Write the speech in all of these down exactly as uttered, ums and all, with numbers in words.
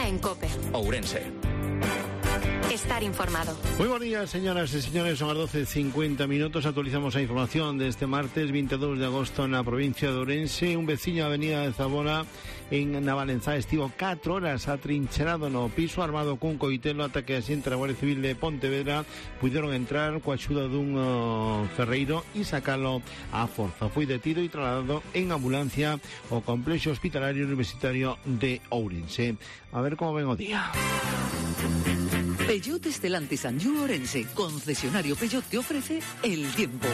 mañana en COPE. Ourense. Estar informado. Muy buenos días, señoras y señores. Son las doce cincuenta minutos. Actualizamos la información de este martes veintidós de agosto en la provincia de Ourense. Un veciño da avenida de Zabona en Navalenzá estivo catro horas atrincherado no piso armado cun coitelo ata que a xente da Guardia Civil de Pontevedra puderon entrar coa axuda dun uh, ferreiro e sacalo á forza. Foi detido e trasladado en ambulancia ao complexo hospitalario universitario de Ourense. A ver como ven o día. Peugeot Stellantis Anjou Ourense, concesionario Peugeot, te ofrece el tiempo.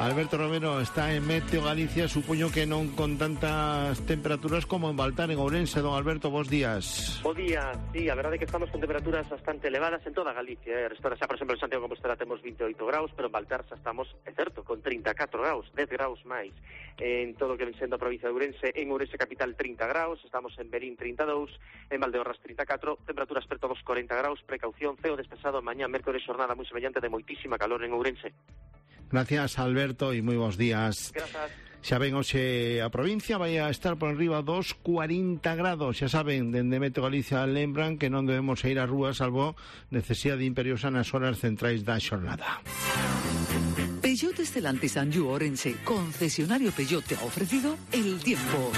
Alberto Romero está en Meteo Galicia, supoño que non con tantas temperaturas como en Baltar, en Ourense. Don Alberto, bos días. Bo día, sí, a verdade é que estamos con temperaturas bastante elevadas en toda Galicia, eh? Restora xa, por exemplo, en Santiago de Compostela temos vinte e oito graus, pero en Baltar xa estamos, é certo, con trinta e catro graus, dez graus máis. En todo o que ven sendo a provincia de Ourense, en Ourense capital trinta graus, estamos en Berín trinta e dous, en Valdeorras trinta e catro, temperaturas preto dos corenta graus, precaución, ceo despexado, mañá, mércores, xornada moi semellante de moitísima calor en Ourense. Gracias, Alberto, e moi bons días. Grazas. Xa ven, hoxe a provincia vai a estar por arriba dos cuarenta grados. Xa saben, dende Meteo Galicia lembran que non debemos ir ás rúas salvo necesidade imperiosa nas horas centrais da xornada. Peugeot Stellantis Anjou Ourense, concesionario Peugeot, te ha ofrecido el tiempo.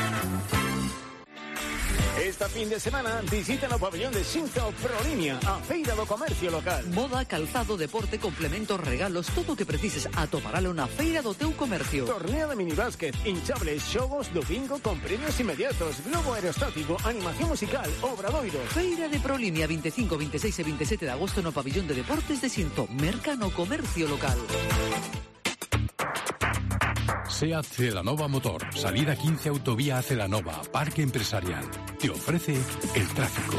Esta fin de semana visita no pabellón de Xinzo Prolínea, a feira do comercio local. Moda, calzado, deporte, complementos, regalos, todo o que precises atoparalo na feira do teu comercio. Torneo de minibásquet, hinchables, xogos do bingo con premios inmediatos, globo aerostático, animación musical, obradoiros. Feira de Prolínea, veinticinco, veintiséis e veintisiete de agosto no pabellón de deportes de Xinzo, merca no comercio local. SEAT Celanova Motor, salida quince autovía a Celanova, Parque Empresarial. Te ofrece el tráfico.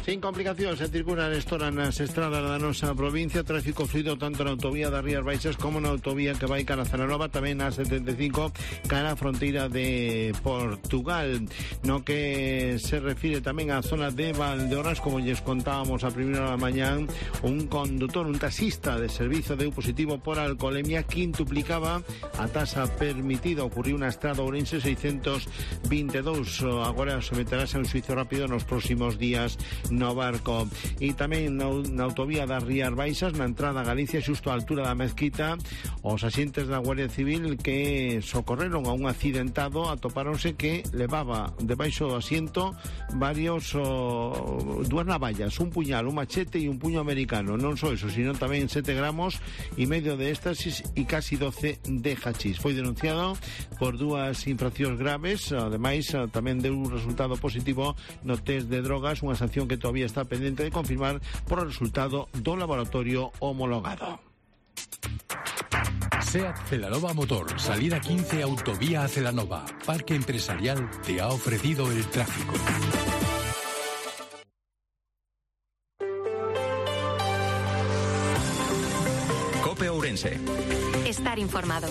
Sin complicacións, se circulan estora nas estradas da nosa provincia, tráfico fluido tanto na autovía das Rías Baixas como na autovía que vai cara a Celanova, tamén na setenta e cinco cara a fronteira de Portugal. No que se refire tamén á zona de Valdeorras, como lles contábamos a primeira da mañán, un condutor, un taxista de servizo deu positivo por alcoholemia, quintuplicaba a tasa permitida. Ocurriu na estrada Ourense seiscentos veintidós. Agora someterase a un xuizo rápido nos próximos días no barco. E tamén na, na autovía das Rías Baixas, na entrada a Galicia, xusto á altura da mezquita, os axentes da Guardia Civil que socorreron a un accidentado atopáronse que levaba debaixo do asiento varios oh, dúas navallas, un puñal, un machete e un puño americano. Non só eso, sino tamén sete gramos e medio de éxtasis e casi doce de hachís. Foi denunciado por dúas infraccións graves. Ademais, tamén deu un resultado positivo no test de drogas, unha sanción que todavía está pendiente de confirmar por el resultado do laboratorio homologado. SEAT Celanova Motor, salida quince autovía a Celanova, Parque Empresarial, te ha ofrecido el tráfico. COPE Ourense. Estar informado.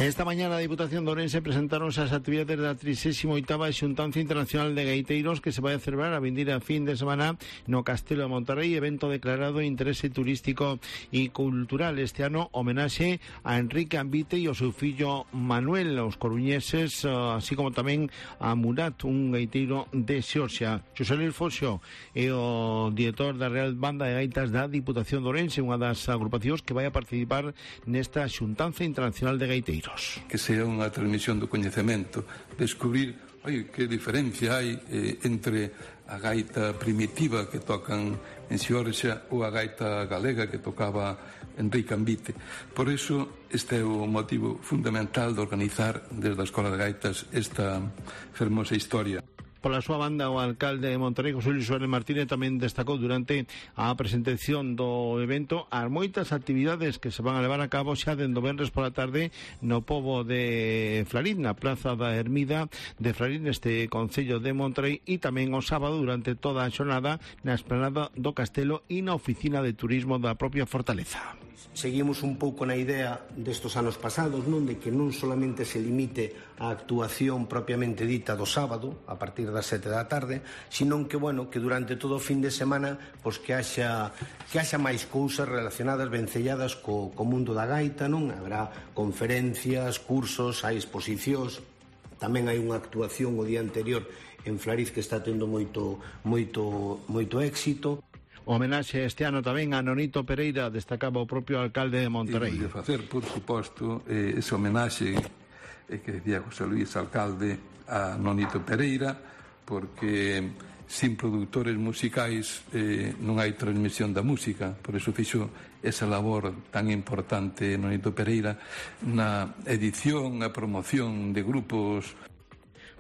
Esta mañana a Diputación de Ourense presentaron as actividades da trinta e oitava Xuntanza Internacional de Gaiteiros que se vai a celebrar a vindeira fin de semana no Castelo de Monterrey, evento declarado de interese turístico e cultural. Este ano homenaxe a Enrique Ambite e ao seu fillo Manuel, os coruñeses, así como tamén a Murat, un gaiteiro de Xeorxia. Xosé Luis Foxo é o director da Real Banda de Gaitas da Diputación de Ourense, unha das agrupacións que vai a participar nesta Xuntanza Internacional de Gaiteiros. Que sea unha transmisión do coñecemento, descubrir, oi, que diferencia hai eh, entre a gaita primitiva que tocan en Xeorxia ou a gaita galega que tocaba Enrique Ambite. Por iso, este é o motivo fundamental de organizar desde a Escola de Gaitas esta fermosa historia. Pola súa banda, o alcalde de Monterrey, José Luis Suárez Martínez, tamén destacou durante a presentación do evento as moitas actividades que se van a levar a cabo xa dende o venres pola tarde no pobo de Flarín, na Praza da Ermida de Flarín, este concello de Monterrey, e tamén o sábado durante toda a xornada na esplanada do Castelo e na oficina de turismo da propia fortaleza. Seguimos un pouco na idea destos anos pasados, non, de que non solamente se limite a actuación propiamente dita do sábado, a partir partir das sete da tarde, senón que, bueno, que durante todo o fin de semana pois que haxa que haxa máis cousas relacionadas, vencelladas co, co mundo da gaita, non? Habrá conferencias, cursos, hai exposicións, tamén hai unha actuación o día anterior en Flariz que está tendo moito moito moito éxito. Homenaxe este ano tamén a Nonito Pereira, destacaba o propio alcalde de Monterrey. E de facer, por suposto, eh, ese homenaxe eh, que decía José Luis, alcalde, a Nonito Pereira, porque sin produtores musicais eh, non hai transmisión da música, por eso fixo esa labor tan importante Nonito Pereira na edición, a promoción de grupos.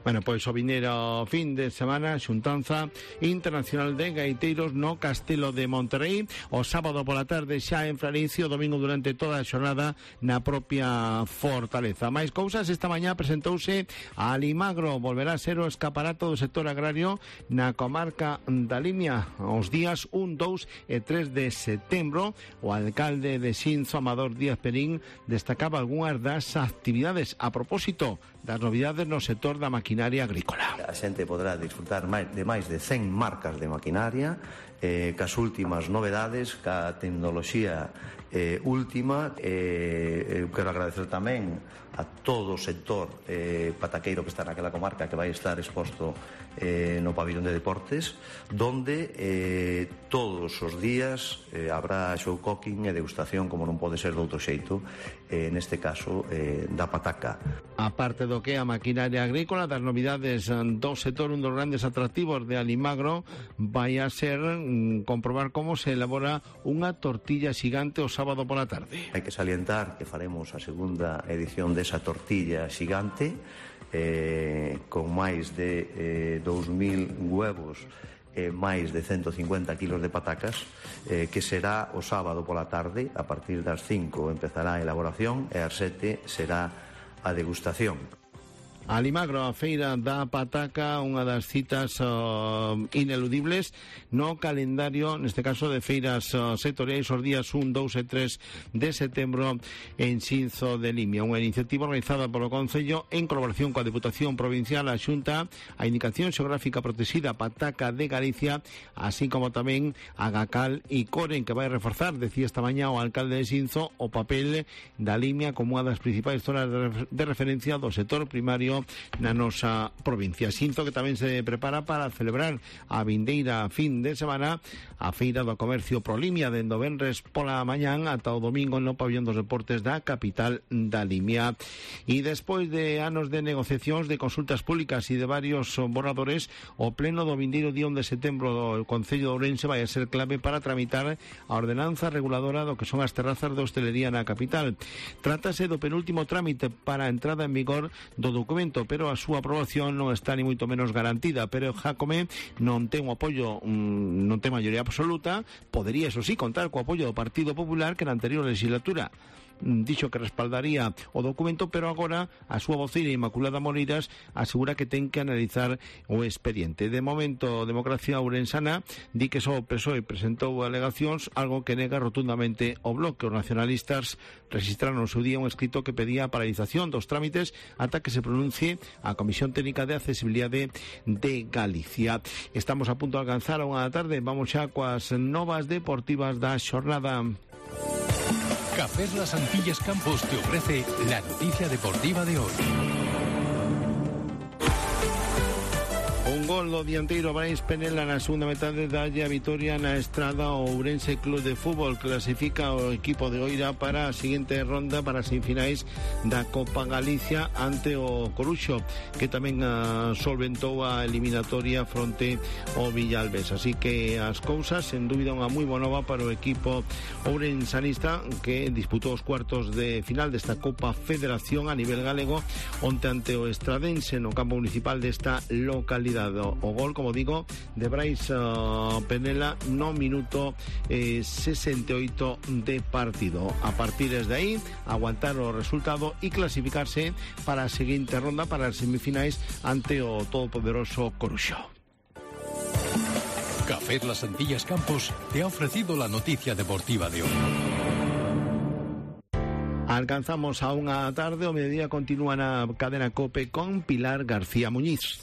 Bueno, pois o vineiro fin de semana xuntanza internacional de gaiteiros no Castelo de Monterrey, o sábado pola tarde xa en Flaricio, o domingo durante toda a xornada na propia fortaleza. Mais cousas, esta mañá presentouse a Alimagro, volverá a ser o escaparato do sector agrario na comarca da Limia os días un, dous e tres de setembro. O alcalde de Xinzo, Amador Díaz Perín, destacaba algunhas das actividades a propósito das novidades no sector da maquinaria agrícola. A xente podrá disfrutar de máis de cen marcas de maquinaria, eh, cas últimas novedades, ca tecnoloxía eh, última. Eh, eu quero agradecer tamén a todo o sector eh, pataqueiro que está naquela comarca, que vai estar exposto eh, no pabillón de deportes, donde eh, todos os días eh, habrá show cooking e degustación, como non pode ser de outro xeito, eh, neste caso eh, da pataca. A parte do que a maquinaria agrícola, das novidades do sector, un dos grandes atractivos de Alimagro vai a ser mm, comprobar como se elabora unha tortilla xigante o sábado pola tarde. Hai que salientar que faremos a segunda edición desa tortilla xigante, eh, con máis de eh, dous mil huevos e máis de ciento cincuenta kilos de patacas, eh, que será o sábado pola tarde. A partir das cinco empezará a elaboración e ás sete será a degustación. Alimagro, a feira da pataca, unha das citas uh, ineludibles no calendario, neste caso de feiras uh, sectoriais, os días un, dous e tres de setembro en Xinzo de Limia. Unha iniciativa realizada polo Concello en colaboración coa Deputación Provincial, a Xunta, a Indicación Xeográfica Protexida Pataca de Galicia, así como tamén a Gacal e Coren, que vai reforzar, decía esta mañá o alcalde de Xinzo, o papel da Limia como unha das principais zonas de referencia do sector primario na nosa provincia. Xinzo que tamén se prepara para celebrar a vindeira fin de semana a Feira do Comercio Prolimia, dende o venres pola mañán ata o domingo no pabillón dos deportes da capital da Limia. E despois de anos de negociacións, de consultas públicas e de varios borradores, o pleno do vindeiro día un de setembro do Concello de Ourense vai a ser clave para tramitar a ordenanza reguladora do que son as terrazas de hostelería na capital. Trátase do penúltimo trámite para a entrada en vigor do documento, pero a súa aprobación non está ni moito menos garantida. Pero Jácome non ten o apoio, non ten maioría absoluta. Podería, eso sí, contar co apoio do Partido Popular, que na anterior legislatura dixo que respaldaría o documento, pero agora a súa voceira Inmaculada Moreiras asegura que ten que analizar o expediente. De momento, Democracia Ourensana di que só o P S O E presentou alegacións, algo que nega rotundamente o Bloque. Os nacionalistas registraron no seu día un escrito que pedía a paralización dos trámites ata que se pronuncie a Comisión Técnica de Accesibilidade de Galicia. Estamos a punto de alcanzar a unha da tarde. Vamos xa coas novas deportivas da xornada. Cafés Las Antillas Campos te ofrece la noticia deportiva de hoy. Un gol do dianteiro Brais Penela na segunda metade dalle a vitoria na Estrada ao Ourense Club de Fútbol. Clasifica o equipo de Oira para a seguinte ronda, para as semifinais da Copa Galicia ante o Coruxo, que tamén uh, solventou a eliminatoria fronte ao Villalbes. Así que as cousas, sen dúbida, unha moi boa nova para o equipo ourensanista, que disputou os cuartos de final desta Copa Federación a nivel galego onte ante o Estradense no campo municipal desta localidade. O gol, como digo, de Brais uh, Penela no minuto eh, sesenta e oito de partido. A partir de aí, aguantar o resultado e clasificarse para a seguinte ronda, para as semifinais ante o todopoderoso Coruxo. Café Las Antillas Campos te ha ofrecido la noticia deportiva de hoy. Alcanzamos a unha tarde, o mediodía continúa na cadena COPE con Pilar García Muñiz.